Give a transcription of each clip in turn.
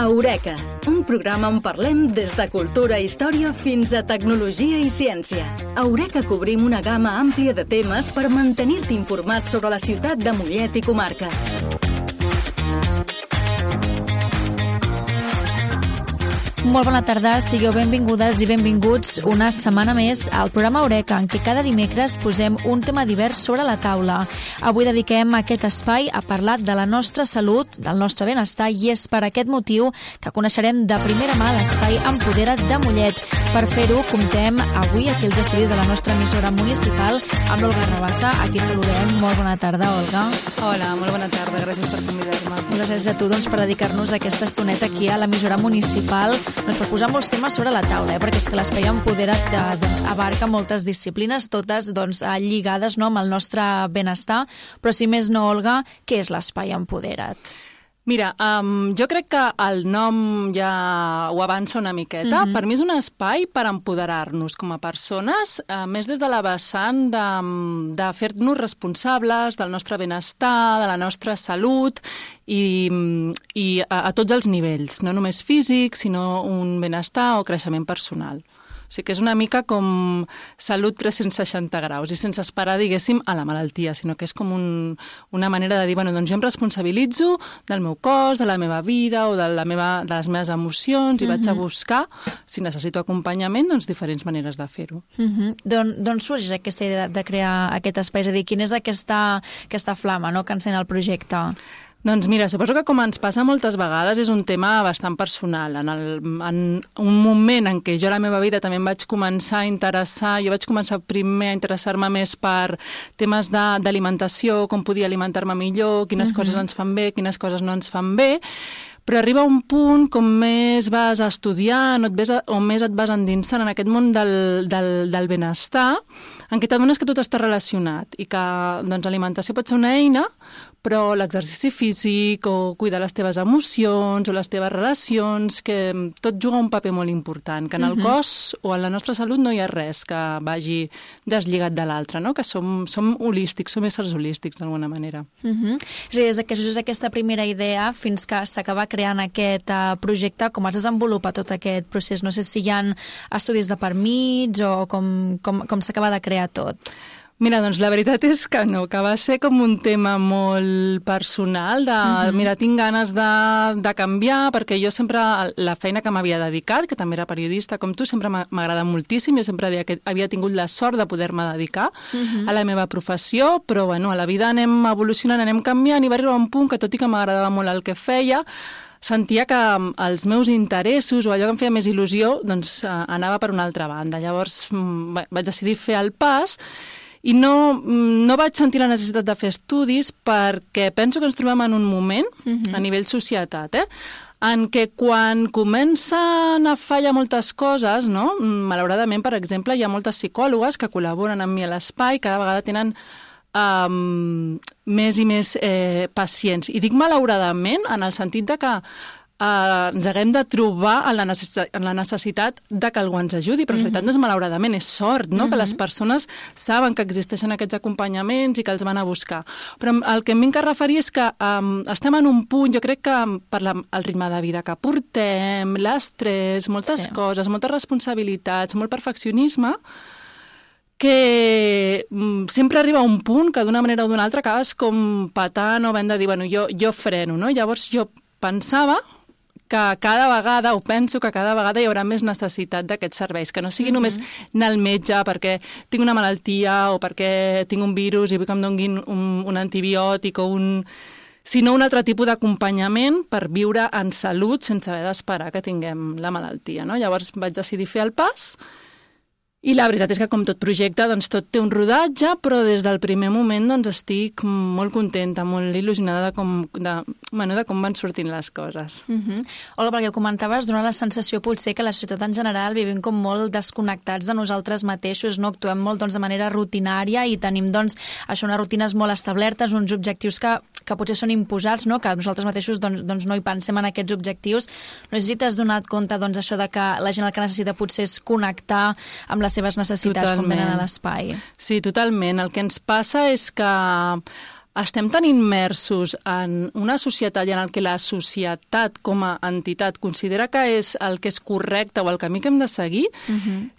Eureka, un programa on parlem des de cultura i història fins a tecnologia i ciència. A Eureka cobrim una gamma àmplia de temes per mantenir-te informat sobre la ciutat de Mollet i comarca. Molt bona tarda, sigueu benvingudes i benvinguts una setmana més al programa Eureka, en què cada dimecres posem un tema divers sobre la taula. Avui dediquem aquest espai a parlar de la nostra salut, del nostre benestar, i és per aquest motiu que coneixerem de primera mà l'espai Empodera't de Mollet. Per fer-ho, comptem avui aquí als estudis de la nostra emissora municipal amb l'Olga Rabassa. Aquí saludem. Molt bona tarda, Olga. Hola, molt bona tarda. Gràcies per convidar-me. Moltes gràcies a tu per dedicar-nos aquesta estoneta aquí a l'emissora municipal, per posar molts temes sobre la taula, perquè és que l'espai Empodera't abarca moltes disciplines, totes lligades amb el nostre benestar, però si més no, Olga, què és l'espai Empodera't? Mira, jo crec que el nom ja ho avança una miqueta. Per mi és un espai per empoderar-nos com a persones, més des de la vessant de fer-nos responsables del nostre benestar, de la nostra salut i a tots els nivells, no només físic, sinó un benestar o creixement personal. O sigui que és una mica com salut 360 graus i sense esperar, diguéssim, a la malaltia, sinó que és com una manera de dir, bueno, doncs jo em responsabilitzo del meu cos, de la meva vida o de les meves emocions i vaig a buscar, si necessito acompanyament, doncs diferents maneres de fer-ho. D'on sorgeix aquesta idea de crear aquest espai? És a dir, quina és aquesta flama que encén el projecte? Doncs mira, suposo que com ens passa moltes vegades és un tema bastant personal. En un moment en què jo a la meva vida també em vaig començar a interessar, jo vaig començar primer a interessar-me més per temes d'alimentació, com podia alimentar-me millor, quines coses ens fan bé, quines coses no ens fan bé, però arriba un punt com més vas estudiant o més et vas endinsant en aquest món del benestar, en què t'adones que tot està relacionat i que l'alimentació pot ser una eina, però l'exercici físic o cuidar les teves emocions o les teves relacions, que tot juga un paper molt important, que en el cos o en la nostra salut no hi ha res que vagi deslligat de l'altre, no? Que som holístics, som éssers holístics d'alguna manera. És a dir, des d'aquesta primera idea fins que s'acaba creant aquest projecte, com es desenvolupa tot aquest procés? No sé si hi ha estudis de per mig o com s'acaba de crear tot. Mira, doncs la veritat és que no, que va ser com un tema molt personal mira, tinc ganes de canviar, perquè jo sempre, la feina que m'havia dedicat, que també era periodista com tu, sempre m'agrada moltíssim, jo sempre deia que havia tingut la sort de poder-me dedicar a la meva professió, però bueno, a la vida anem evolucionant, anem canviant, i va arribar un punt que, tot i que m'agradava molt el que feia, sentia que els meus interessos o allò que em feia més il·lusió doncs anava per una altra banda. Llavors vaig decidir fer el pas i no vaig sentir la necessitat de fer estudis, perquè penso que ens trobem en un moment, a nivell societat, en què quan comencen a fallar moltes coses, no? Malauradament, per exemple, hi ha moltes psicòlogues que col·laboren amb mi a l'espai, cada vegada tenen més i més pacients. I dic malauradament en el sentit de que ens haguem de trobar en la necessitat de que algú ens ajudi, però en realitat no és malauradament, és sort, no? Que les persones saben que existeixen aquests acompanyaments i que els van a buscar. Però el que em vinc a referir és que estem en un punt, jo crec que per el ritme de vida que portem, l'estrès, moltes coses, moltes responsabilitats, molt perfeccionisme, que sempre arriba a un punt que d'una manera o d'una altra acabes com patant o havent de dir, bueno, jo freno, no? Llavors jo pensava que cada vegada, o penso que cada vegada hi haurà més necessitat d'aquests serveis, que no sigui només anar al metge perquè tinc una malaltia o perquè tinc un virus i vull que em donguin un antibiòtic sinó un altre tipus d'acompanyament per viure en salut sense haver d'esperar que tinguem la malaltia, no? Llavors vaig decidir fer el pas. I la veritat és que, com tot projecte, doncs tot té un rodatge, però des del primer moment doncs estic molt contenta, molt il·lusionada de com van sortint les coses. Olga, perquè ho comentaves, dona la sensació potser que la societat en general vivim com molt desconnectats de nosaltres mateixos, no? Actuem molt de manera rutinària i tenim unes rutines molt establertes, uns objectius que potser són imposats, no? Que nosaltres mateixos no hi pensem en aquests objectius. No sé si t'has donat compte això de que la gent el que necessita potser és connectar amb les seves necessitats quan venen a l'espai. Sí, totalment. El que ens passa és que estem tan immersos en una societat i en el que la societat com a entitat considera que és el que és correcte o el camí que hem de seguir,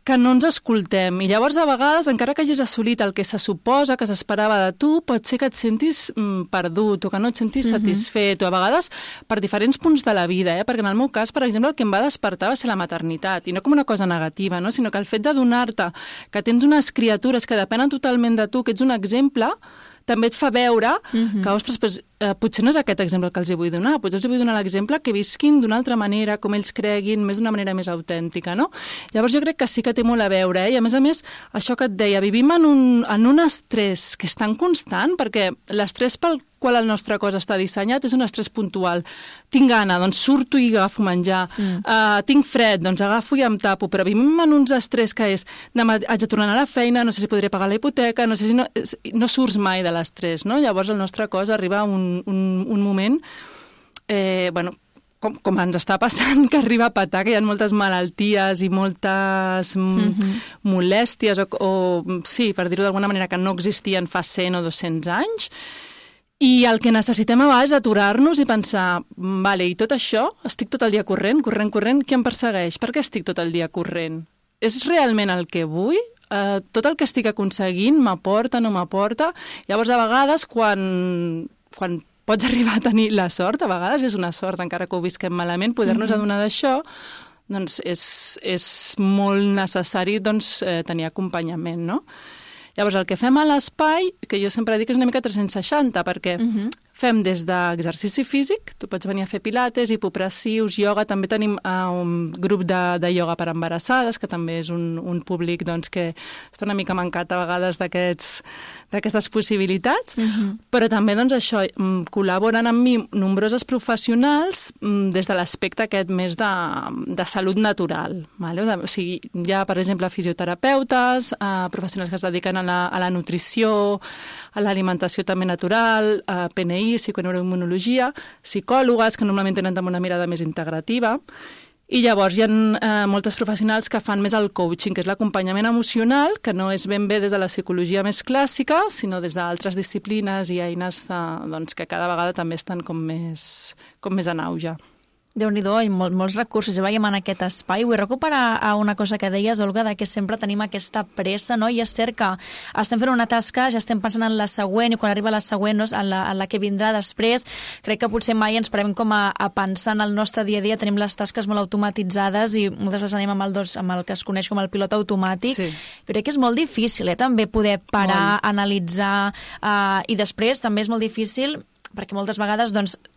que no ens escoltem. I llavors, a vegades, encara que hagis assolit el que se suposa, que s'esperava de tu, pot ser que et sentis perdut o que no et sentis satisfet, o a vegades per diferents punts de la vida, perquè en el meu cas, per exemple, el que em va despertar va ser la maternitat, i no com una cosa negativa, no? Sinó que el fet d'adonar-te que tens unes criatures que depenen totalment de tu, que ets un exemple, també et fa veure que, ostres, potser no és aquest exemple que els hi vull donar, potser els hi vull donar l'exemple que visquin d'una altra manera, com ells creguin, més d'una manera més autèntica, no? Llavors jo crec que sí que té molt a veure, i a més, això que et deia, vivim en un estrès que és tan constant, perquè l'estrès pel qual el nostre cos està dissenyat és un estrès puntual. Tinc gana, doncs surto i agafo menjar. Tinc fred, doncs agafo i em tapo. Però vivim en uns estrès que és demà haig de tornar a la feina, no sé si podré pagar la hipoteca, no sé si no surts mai de l'estrès, no? Llavors el nostre cos arriba a un moment, com ens està passant, que arriba a petar, que hi ha moltes malalties i moltes molèsties, sí, per dir-ho d'alguna manera, que no existien fa 100 o 200 anys. I el que necessitem a vegades és aturar-nos i pensar, vale, i tot això, estic tot el dia corrent, qui em persegueix? Per què estic tot el dia corrent? És realment el que vull? Tot el que estic aconseguint m'aporta, no m'aporta? Llavors, a vegades, quan pots arribar a tenir la sort, a vegades és una sort, encara que ho visquem malament, poder-nos adonar d'això, doncs és molt necessari tenir acompanyament, no? Llavors, el que fem a l'espai, que jo sempre dic que és una mica 360, perquè fem des d'exercici físic, tu pots venir a fer pilates, hipopressius, ioga, també tenim un grup de ioga per embarassades, que també és un públic que està una mica mancat a vegades d'aquestes possibilitats, però també això, col·laboren amb mi nombroses professionals des de l'aspecte aquest més de salut natural. O sigui, hi ha, per exemple, fisioterapeutes, professionals que es dediquen a la nutrició, a l'alimentació també natural, a PNI, psiconeuroimmunologia, psicòlogues que normalment tenen també una mirada més integrativa, i llavors hi ha moltes professionals que fan més el coaching, que és l'acompanyament emocional, que no és ben bé des de la psicologia més clàssica, sinó des d'altres disciplines i eines que cada vegada també estan com més en auge. Déu-n'hi-do, i molts recursos. Ja veiem en aquest espai. Vull recuperar una cosa que deies, Olga, que sempre tenim aquesta pressa, no? I és cert que estem fent una tasca, ja estem pensant en la següent, i quan arriba la següent, no? en la que vindrà després, crec que potser mai ens parem com a pensar en el nostre dia a dia. Tenim les tasques molt automatitzades i moltes vegades anem amb el que es coneix com el pilot automàtic. Sí. Crec que és molt difícil, també poder parar, analitzar, i després també és molt difícil perquè moltes vegades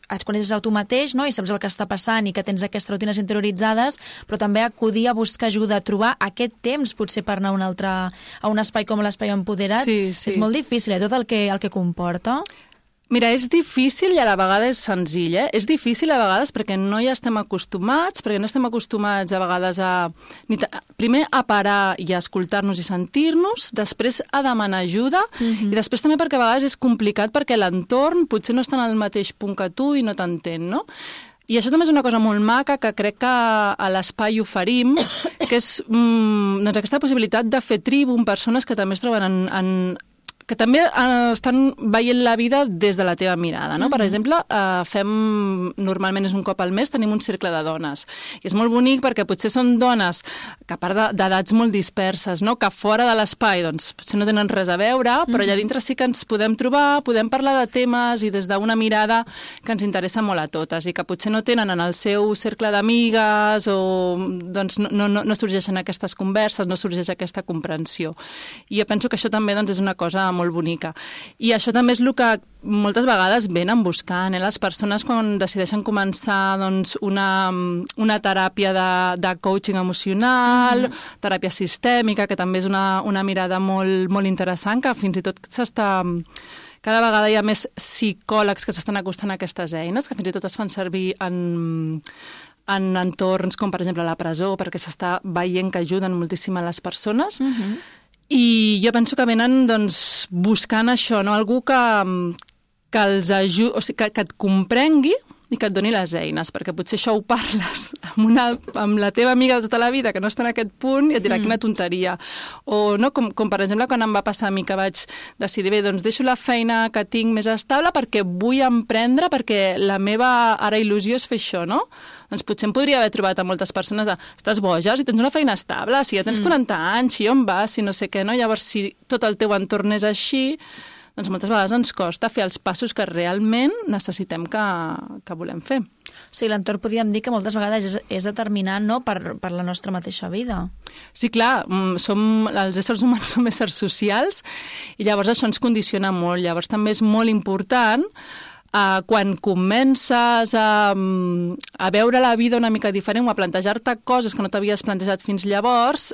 et coneixes a tu mateix, no? I saps el que està passant i que tens aquestes rutines interioritzades, però també acudir a buscar ajuda, a trobar aquest temps potser per anar a un espai com l'Espai Empoderat. Sí. És molt difícil, tot el que comporta. Mira, és difícil i a la vegada és senzill, És difícil a vegades perquè no hi estem acostumats, a vegades primer a parar i a escoltar-nos i sentir-nos, després a demanar ajuda, i després també perquè a vegades és complicat perquè l'entorn potser no està en el mateix punt que tu i no t'entén, no? I això també és una cosa molt maca que crec que a l'espai oferim, que és aquesta possibilitat de fer tribu amb persones que també es troben que també estan veient la vida des de la teva mirada, no? Per exemple, normalment és un cop al mes, tenim un cercle de dones. I és molt bonic perquè potser són dones que a part d'edats molt disperses, no? Que fora de l'espai doncs, potser no tenen res a veure, però allà dintre sí que ens podem trobar, podem parlar de temes i des d'una mirada que ens interessa molt a totes i que potser no tenen en el seu cercle d'amigues o doncs, no sorgeixen aquestes converses, no sorgeix aquesta comprensió. I jo penso que això també és una cosa molt bonica. I això també és el que moltes vegades venen buscant, les persones quan decideixen començar una teràpia de coaching emocional, teràpia sistèmica, que també és una mirada molt, molt interessant, que fins i tot cada vegada hi ha més psicòlegs que s'estan acostant a aquestes eines, que fins i tot es fan servir en entorns com, per exemple, la presó, perquè s'està veient que ajuden moltíssim a les persones. I jo penso que venen buscant això, no? Algú que els ajudi, o sigui, que et comprengui i que et doni les eines, perquè potser això ho parles amb la teva amiga de tota la vida que no està en aquest punt i et dirà quina tonteria. O no, com per exemple quan em va passar a mi que vaig decidir, bé, doncs deixo la feina que tinc més estable perquè vull emprendre, perquè la meva ara il·lusió és fer això, no? Doncs potser em podria haver trobat a moltes persones de estàs boja, si tens una feina estable, si ja tens 40 anys, si on vas, si no sé què, no? Llavors, si tot el teu entorn és així, doncs moltes vegades ens costa fer els passos que realment necessitem que volem fer. Sí, l'entorn podríem dir que moltes vegades és determinant, no?, per la nostra mateixa vida. Sí, clar, els éssers humans som éssers socials i llavors això ens condiciona molt. Llavors també és molt important quan comences a veure la vida una mica diferent o a plantejar-te coses que no t'havies plantejat fins llavors,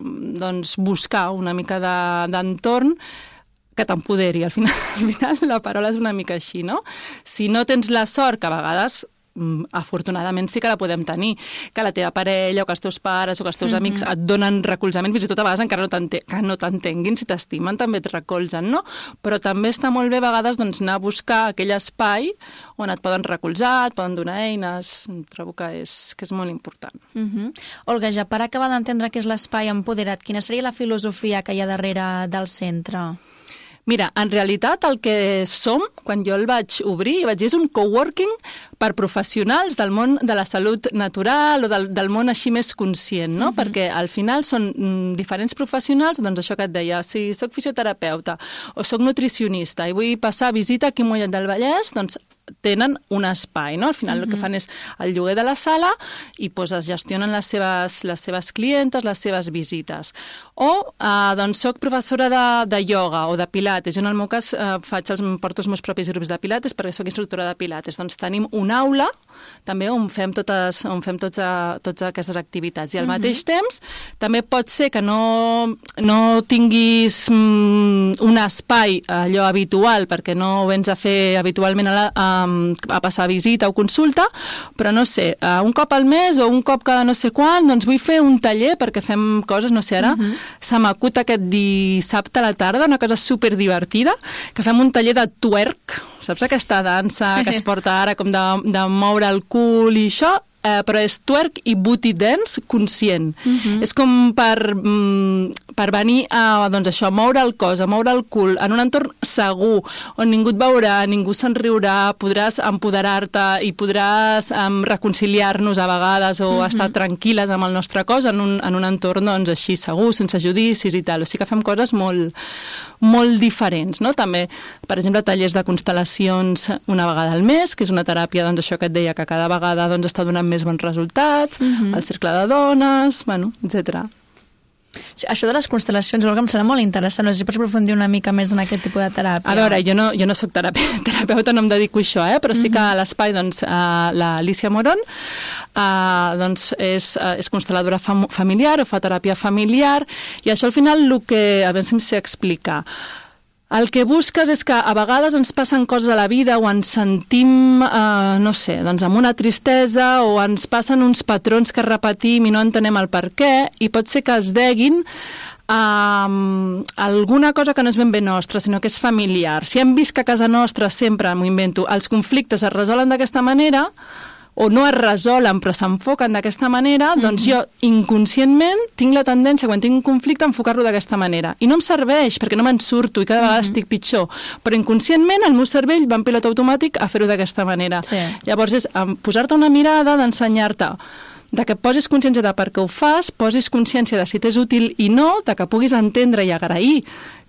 doncs buscar una mica d'entorn que t'empoderi. Al final la paraula és una mica així, no? Si no tens la sort, que a vegades afortunadament sí que la podem tenir, que la teva parella o que els teus pares o que els teus amics et donen recolzament, fins i tot a vegades encara que no t'entenguin, si t'estimen també et recolzen, no? Però també està molt bé a vegades doncs, anar a buscar aquell espai on et poden recolzar, et poden donar eines, trobo que és molt important. Olga, ja per acabar d'entendre què és l'espai empoderat, quina seria la filosofia que hi ha darrere del centre? Mira, en realitat el que som, quan jo el vaig obrir, vaig dir és un coworking per professionals del món de la salut natural o del món així més conscient, no? Perquè al final són diferents professionals, doncs això que et deia, si soc fisioterapeuta o soc nutricionista i vull passar visita aquí a Mollet del Vallès, doncs tenen un espai, no? Al final el que fan és el lloguer de la sala i doncs es gestionen les seves clientes, les seves visites. O doncs soc professora de ioga o de pilates. Jo en el meu cas porto els meus propis grups de pilates perquè soc instructora de pilates. Doncs tenim una aula també on fem totes aquestes activitats. I al mateix temps també pot ser que no tinguis un espai allò habitual perquè no ho vens a fer habitualment a passar visita o consulta, però no sé, un cop al mes o un cop cada no sé quan, doncs vull fer un taller perquè fem coses, no sé, ara se m'acut aquest dissabte a la tarda, una cosa superdivertida, que fem un taller de twerk, saps aquesta dansa que es porta ara com de moure el cul i això? Però és twerk i booty dance conscient. És com per venir a moure el cos, a moure el cul, en un entorn segur, on ningú et veurà, ningú se'n riurà, podràs empoderar-te i podràs reconciliar-nos a vegades o estar tranquil·les amb el nostre cos en un entorn doncs, així segur, sense judicis i tal. O sigui que fem coses molt diferents, no? També, per exemple, tallers de constel·lacions una vegada al mes, que és una teràpia, doncs això que et deia, que cada vegada doncs, està donant més bons resultats, el cercle de dones, bueno, etc. Això de les constel·lacions, Olga, em sembla molt interessant. No sé si pots aprofundir una mica més en aquest tipus de teràpia. A veure, jo no soc terapeuta, no em dedico a això, però sí que a l'espai, doncs, l'Alicia Moron doncs és constel·ladora familiar o fa teràpia familiar, i això al final a veure si em sé explicar. El que busques és que a vegades ens passen coses a la vida o ens sentim, no sé, doncs amb una tristesa o ens passen uns patrons que repetim i no entenem el per què, i pot ser que es deguin alguna cosa que no és ben bé nostra, sinó que és familiar. Si hem vist que a casa nostra sempre, m'ho invento, els conflictes es resolen d'aquesta manera, o no es resolen però s'enfoquen d'aquesta manera, doncs jo inconscientment tinc la tendència, quan tinc un conflicte, a enfocar-lo d'aquesta manera. I no em serveix, perquè no me'n surto i cada vegada estic pitjor. Però inconscientment el meu cervell va en pilot automàtic a fer-ho d'aquesta manera. Sí. Llavors és posar-te una mirada, d'ensenyar-te de que posis consciència de per què ho fas, posis consciència de si t'és útil i no, de que puguis entendre i agrair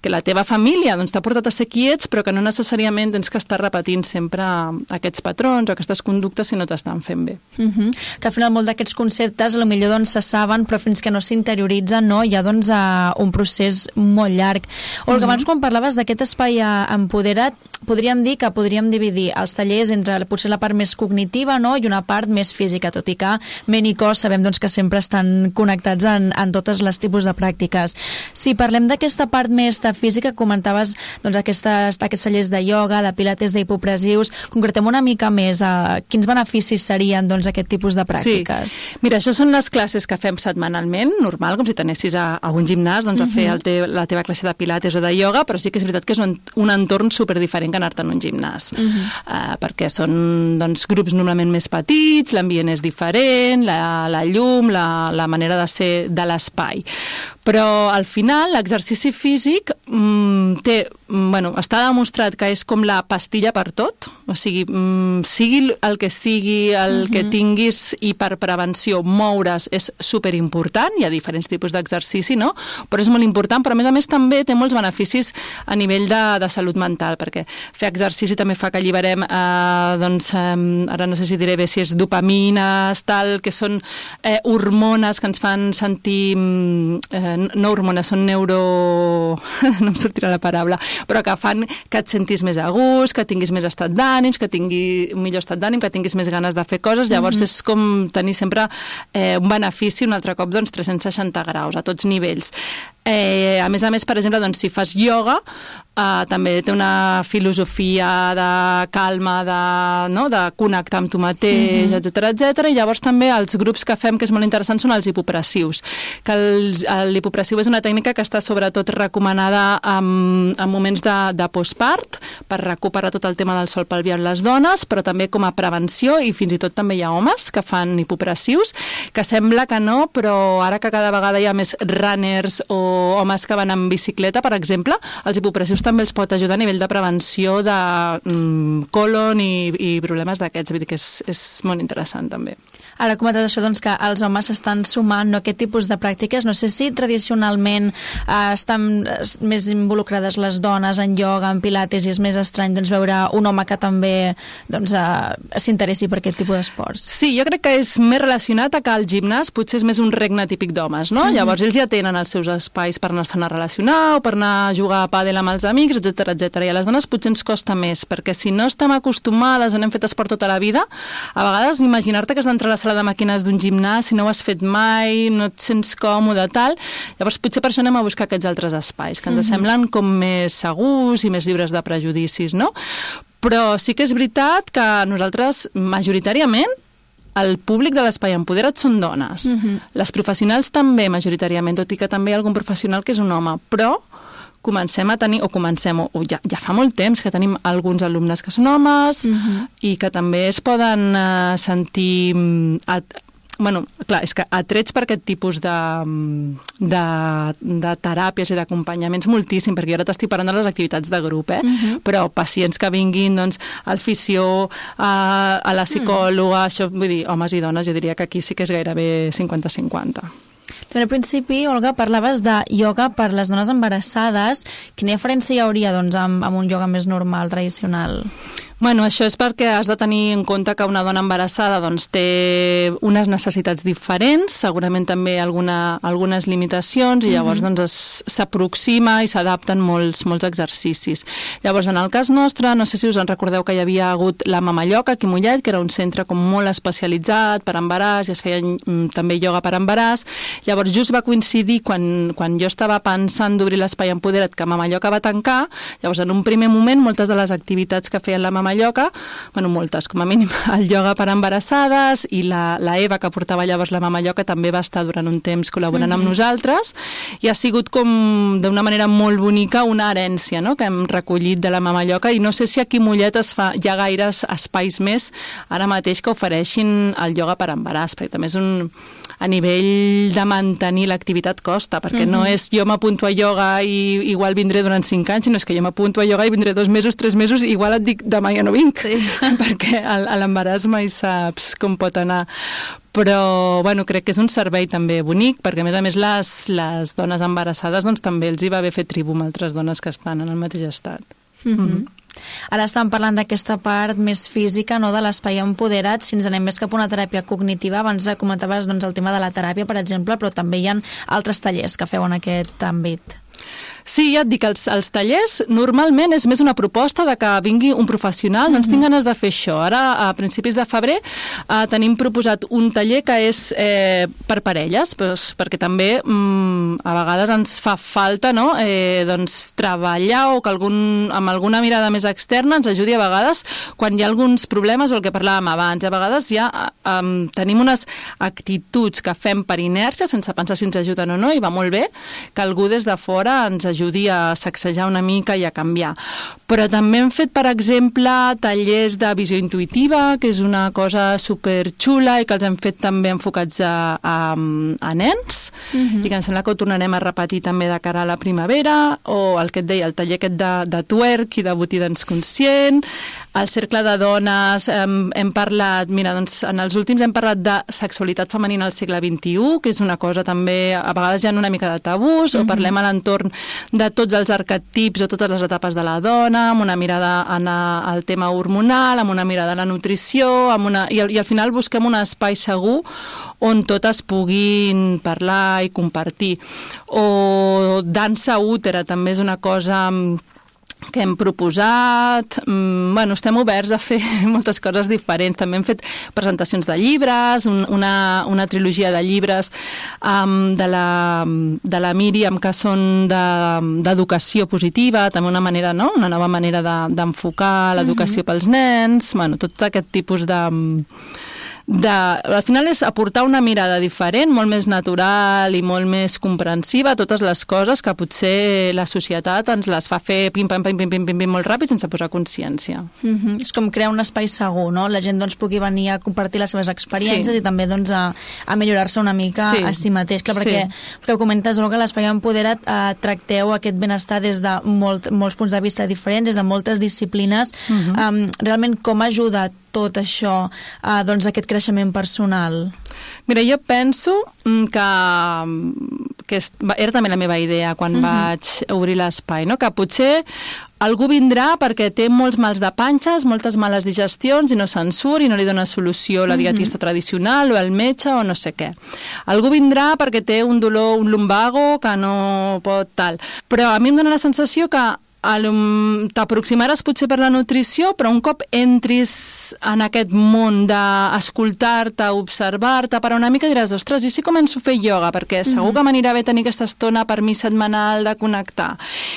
que la teva família doncs, t'ha portat a ser qui ets, però que no necessàriament tens que estar repetint sempre aquests patrons o aquestes conductes si no t'estan fent bé. Que al final molt d'aquests conceptes potser doncs, se saben, però fins que no s'interioritzen no, hi ha doncs, un procés molt llarg. Olga, abans quan parlaves d'aquest espai empoderat, podríem dir que podríem dividir els tallers entre potser la part més cognitiva no, i una part més física, tot i que ment i cos sabem doncs, que sempre estan connectats en totes les tipus de pràctiques. Si parlem d'aquesta part més de física, comentaves doncs, aquests tallers de ioga, de pilates, d'hipopressius. Concretem una mica més quins beneficis serien doncs, aquest tipus de pràctiques. Sí. Mira, això són les classes que fem setmanalment, normal, com si t'anessis a un gimnàs doncs, a fer la teva classe de pilates o de ioga, però sí que és veritat que és un entorn superdiferent que anar-te en un gimnàs. Perquè són doncs, grups normalment més petits, l'ambient és diferent, la llum, la manera de ser de l'espai. Però al final l'exercici físic està demostrat que és com la pastilla per tot, o sigui, sigui el que sigui, el que tinguis, i per prevenció moure's és superimportant, hi ha diferents tipus d'exercici, no? Però és molt important, però a més també té molts beneficis a nivell de salut mental, perquè fer exercici també fa que alliberem, ara no sé si diré bé si és dopamines, tal, que són hormones que ens fan sentir, no hormones, són no em sortirà la paraula, però que fan que et sentis més a gust, que tinguis més estat d'ànims, que tingui un millor estat d'ànim, que tinguis més ganes de fer coses. Llavors és com tenir sempre un benefici, un altre cop, 360 graus, a tots nivells. A més, per exemple, si fas ioga, també té una filosofia de calma, de connectar amb tu mateix, etc. I llavors també els grups que fem, que és molt interessant, són els hipopressius. Que l'hipopressiu és una tècnica que està sobretot recomanada en moments de postpart, per recuperar tot el tema del sòl pelvi en les dones, però també com a prevenció, i fins i tot també hi ha homes que fan hipopressius, que sembla que no, però ara que cada vegada hi ha més runners o homes que van en bicicleta, per exemple, els hipopressius també els pot ajudar a nivell de prevenció de colon i problemes d'aquests. Vull dir que és molt interessant també. Ara comentes això, doncs, que els homes s'estan sumant a aquest tipus de pràctiques. No sé si tradicionalment estan més involucrades les dones en ioga, en pilates, i és més estrany doncs, veure un home que també s'interessi per aquest tipus d'esports. Sí, jo crec que és més relacionat a que el gimnàs potser és més un regne típic d'homes, no? Llavors ells ja tenen els seus espais per anar-se'n a relacionar o per anar a jugar a pàdel amb els amics, etc. I a les dones potser ens costa més, perquè si no estem acostumades o n'hem fet esport tota la vida, a vegades imaginar-te que has d'entrar a la sala de màquines d'un gimnàs, si no ho has fet mai, no et sents còmode, tal. Llavors potser per això anem a buscar aquests altres espais, que ens semblen com més segurs i més lliures de prejudicis, no? Però sí que és veritat que nosaltres, majoritàriament, el públic de l'Espai Empoderat són dones. Les professionals també, majoritàriament, tot i que també hi ha algun professional que és un home, però comencem a tenir, ja fa molt temps que tenim alguns alumnes que són homes i que també es poden sentir és que atrets per aquest tipus de teràpies i d'acompanyaments moltíssim, perquè jo ara t'estic parlant de les activitats de grup, però pacients que vinguin al fisio, a la psicòloga, això, vull dir, homes i dones, jo diria que aquí sí que és gairebé 50-50. Al principi, Olga, parlaves de ioga per les dones embarassades. Quina diferència hi hauria amb un ioga més normal, tradicional? Bueno, això és perquè has de tenir en compte que una dona embarassada té unes necessitats diferents, segurament també algunes limitacions, i llavors s'aproxima i s'adapten molts exercicis. Llavors, en el cas nostre, no sé si us en recordeu que hi havia hagut la Mama Lloca aquí a Mollet, que era un centre com molt especialitzat per embaràs, i es feia també ioga per embaràs. Llavors, just va coincidir quan jo estava pensant d'obrir l'Espai Empoderat, que Mama Lloca va tancar. Llavors, en un primer moment, moltes de les activitats que feien la Mama Lloca, moltes, com a mínim, el ioga per embarassades, i la Eva, que portava llavors la Mama Lloca, també va estar durant un temps col·laborant amb nosaltres, i ha sigut com, d'una manera molt bonica, una herència, no?, que hem recollit de la Mama Lloca, i no sé si aquí a Mollet hi ha gaires espais més ara mateix que ofereixin el ioga per embaràs, perquè també és a nivell de mantenir l'activitat costa, perquè no és jo m'apunto a ioga i igual vindré durant 5 anys, sinó és que jo m'apunto a ioga i vindré 2 mesos, 3 mesos, i igual et dic demà ja no vinc, perquè a l'embaràs mai saps com pot anar. Però, crec que és un servei també bonic, perquè a més les dones embarassades també els hi va bé fer tribu amb altres dones que estan en el mateix estat. Ara estem parlant d'aquesta part més física, no, de l'Espai Empoderat. Si ens anem més cap a una teràpia cognitiva, abans comentaves el tema de la teràpia, per exemple, però també hi ha altres tallers que feu en aquest àmbit. Sí, ja et dic, els tallers normalment és més una proposta de que vingui un professional, doncs tinc ganes de fer això. Ara, a principis de febrer, tenim proposat un taller que és per parelles, perquè també a vegades ens fa falta, no? Doncs treballar o que amb alguna mirada més externa ens ajudi a vegades quan hi ha alguns problemes o el que parlàvem abans. A vegades ja tenim unes actituds que fem per inèrcia sense pensar si ens ajuden o no, i va molt bé que algú des de fora ens ajudi a sacsejar una mica i a canviar. Però també hem fet, per exemple, tallers de visió intuïtiva, que és una cosa superxula i que els hem fet també enfocats a nens, i que em sembla que ho tornarem a repetir també de cara a la primavera, o el que et deia, el taller aquest de twerk i de botí dance conscient. Al Cercle de Dones hem parlat, mira, doncs en els últims hem parlat de sexualitat femenina al segle XXI, que és una cosa també, a vegades hi ha una mica de tabús, o parlem a l'entorn de tots els arquetips o totes les etapes de la dona, amb una mirada al tema hormonal, amb una mirada a la nutrició, i al final busquem un espai segur on totes puguin parlar i compartir. O dansa útera també és una cosa que hem proposat. Estem oberts a fer moltes coses diferents. També hem fet presentacions de llibres, una trilogia de llibres de la Míriam, que són d'educació positiva, també una nova manera d'enfocar l'educació pels nens, tot aquest tipus al final és aportar una mirada diferent, molt més natural i molt més comprensiva a totes les coses que potser la societat ens les fa fer pim-pam-pim molt ràpid sense posar consciència. És com crear un espai segur, no? La gent pugui venir a compartir les seves experiències i també a millorar-se una mica a si mateix. Clar, perquè ho comentes, que l'Espai Empodera't tracteu aquest benestar des de molts punts de vista diferents, des de moltes disciplines. Realment, com ajuda tot això, aquest creixement personal? Mira, jo penso que era també la meva idea quan vaig obrir l'espai, no? Que potser algú vindrà perquè té molts mals de panxes, moltes males digestions i no se'n surt i no li dona solució la dietista tradicional o el metge o no sé què. Algú vindrà perquè té un dolor, un lumbago que no pot tal. Però a mi em dona la sensació que t'aproximaràs potser per la nutrició, però un cop entris en aquest món d'escoltar-te, observar-te, per una mica diràs, ostres, i si començo a fer ioga? Perquè segur que m'anirà bé tenir aquesta estona per mi setmanal de connectar.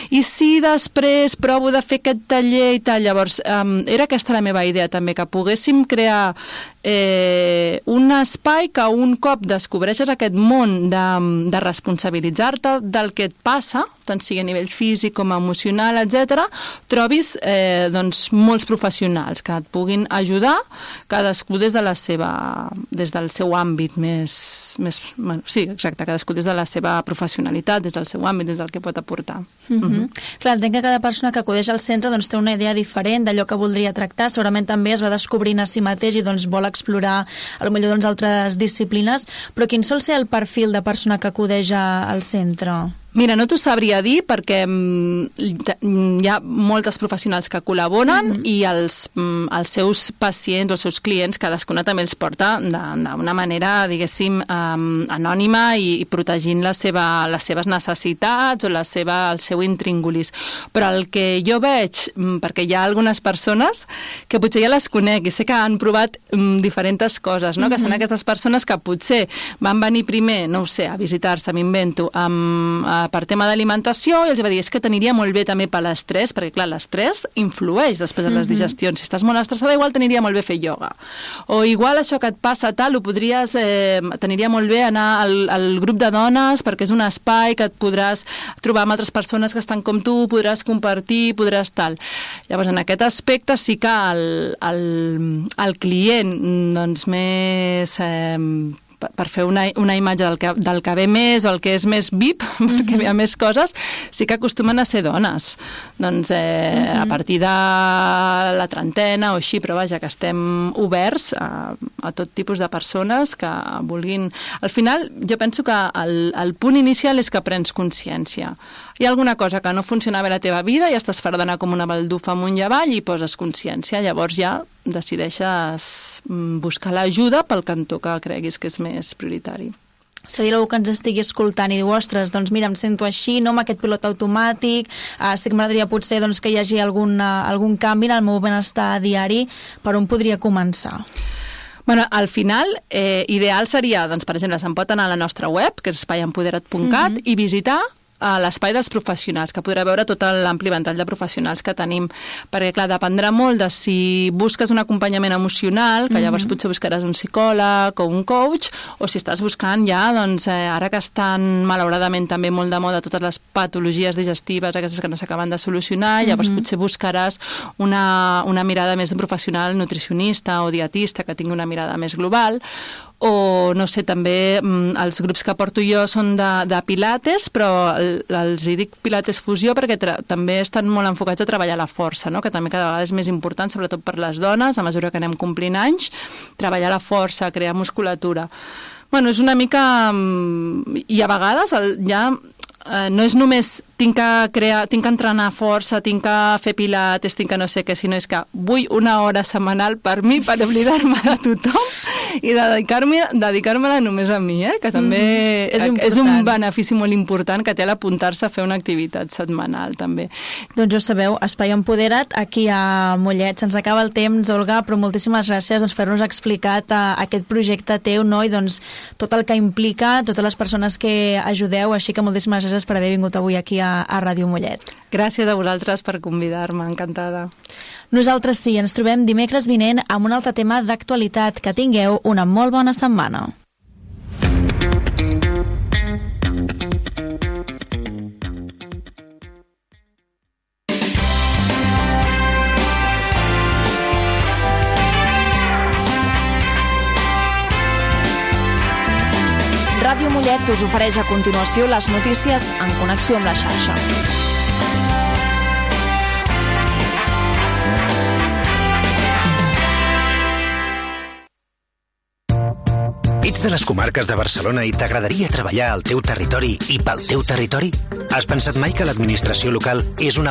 I si després provo de fer aquest taller i tal? Llavors, era aquesta la meva idea també, que poguéssim crear un espai que un cop descobreixes aquest món de responsabilitzar-te del que et passa, tant sigui a nivell físic com emocional, etc., trobis molts professionals que et puguin ajudar, cadascú des del seu àmbit cadascú des de la seva professionalitat, des del seu àmbit, des del que pot aportar. Clar, entenc que cada persona que acudeix al centre té una idea diferent d'allò que voldria tractar, segurament també es va descobrint a si mateix i vol explorar potser altres disciplines, però quin sol ser el perfil de persona que acudeix al centre? Mira, no t'ho sabria dir perquè hi ha moltes professionals que col·laboren i els seus pacients, els seus clients, cadascuna també els porta d'una manera, diguéssim, anònima i protegint les seves necessitats o el seu intríngulis. Però el que jo veig, perquè hi ha algunes persones que potser ja les conec i sé que han provat diferents coses, no? Que són aquestes persones que potser van venir primer, no ho sé, a visitar-se, m'invento, per tema d'alimentació, i els va dir, és que t'aniria molt bé també per l'estrès, perquè clar, l'estrès influeix després de les digestions. Si estàs molt estressada, igual t'aniria molt bé fer ioga. O igual això que et passa tal, t'aniria molt bé anar al grup de dones, perquè és un espai que et podràs trobar amb altres persones que estan com tu, podràs compartir, podràs tal. Llavors, en aquest aspecte sí que el client, doncs, més per fer una imatge del que ve més o el que és més VIP, perquè hi ha més coses, sí que acostumen a ser dones. Doncs a partir de la trentena o així, però vaja, que estem oberts a tot tipus de persones que vulguin... Al final, jo penso que el punt inicial és que prens consciència. Hi ha alguna cosa que no funciona bé a la teva vida i estàs farta d'anar com una baldufa amunt i avall i poses consciència. Llavors ja decideixes buscar l'ajuda pel cantó que creguis que és més prioritari. seria algú que ens estigui escoltant i diu, ostres, doncs mira, em sento així, no amb aquest pilot automàtic, sí que m'agradaria potser doncs, que hi hagi algun canvi en el meu benestar diari, per on podria començar? Bueno, al final, ideal seria, doncs, per exemple, se'n pot anar a la nostra web, que és espaiempoderat.cat, i visitar l'espai dels professionals, que podrà veure tot l'ampli ventall de professionals que tenim. Perquè, clar, dependrà molt de si busques un acompanyament emocional, que llavors potser buscaràs un psicòleg o un coach, o si estàs buscant ja, doncs, ara que estan malauradament també molt de moda totes les patologies digestives, aquestes que no s'acaben de solucionar, llavors potser buscaràs una mirada més d'un professional nutricionista o dietista que tingui una mirada més global. O, no sé, també els grups que porto jo són de pilates, però els hi dic pilates fusió perquè també estan molt enfocats a treballar la força, no? Que també cada vegada és més important, sobretot per les dones, a mesura que anem complint anys, treballar la força, crear musculatura. Bueno, és una mica... I a vegades ja no és només tinc que entrenar força, tinc que fer pilates, tinc que no sé què, sinó és que vull una hora setmanal per mi, per oblidar-me de tothom i dedicar-me-la només a mi, que també és un benefici molt important que té l'apuntar-se a fer una activitat setmanal, també. Doncs ja sabeu, Espai Empodera't, aquí a Mollet. Se'ns acaba el temps, Olga, però moltíssimes gràcies per haver-nos explicat aquest projecte teu, no? I doncs tot el que implica, totes les persones que ajudeu, així que moltíssimes gràcies per haver vingut avui aquí a Ràdio Mollet. Gràcies a vosaltres per convidar-me, encantada. Nosaltres sí, ens trobem dimecres vinent amb un altre tema d'actualitat. Que tingueu una molt bona setmana. Ràdio Mollet us ofereix a continuació les notícies en connexió amb la xarxa. Ets de les comarques de Barcelona i t'agradaria treballar al teu territori i pel teu territori? Has pensat mai que l'administració local és una